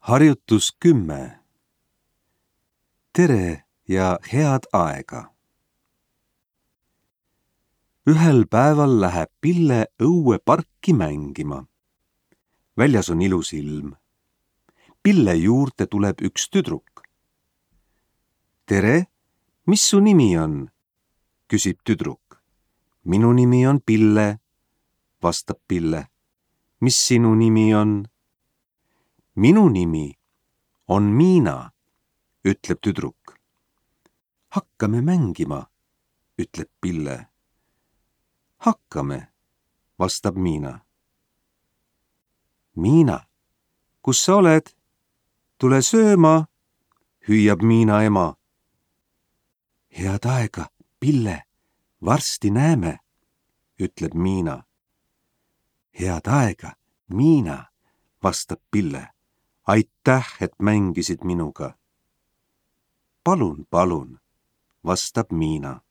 Harjutus 10. Tere ja head aega! Ühel päeval läheb Pille õue parki mängima. Väljas on ilus ilm. Pille juurde tuleb üks tüdruk. Tere, mis su nimi on? Küsib tüdruk. Minu nimi on Pille, vastab Pille. Mis sinu nimi on? Minu nimi on Miina, ütleb tüdruk. Hakkame mängima, ütleb Pille. Hakkame, vastab Miina. Miina, kus sa oled? Tule sööma, hüüab Miina ema. Head aega, Pille, varsti näeme, ütleb Miina. Head aega, Miina, vastab Pille. Aitäh, et mängisid minuga. Palun, vastab Miina.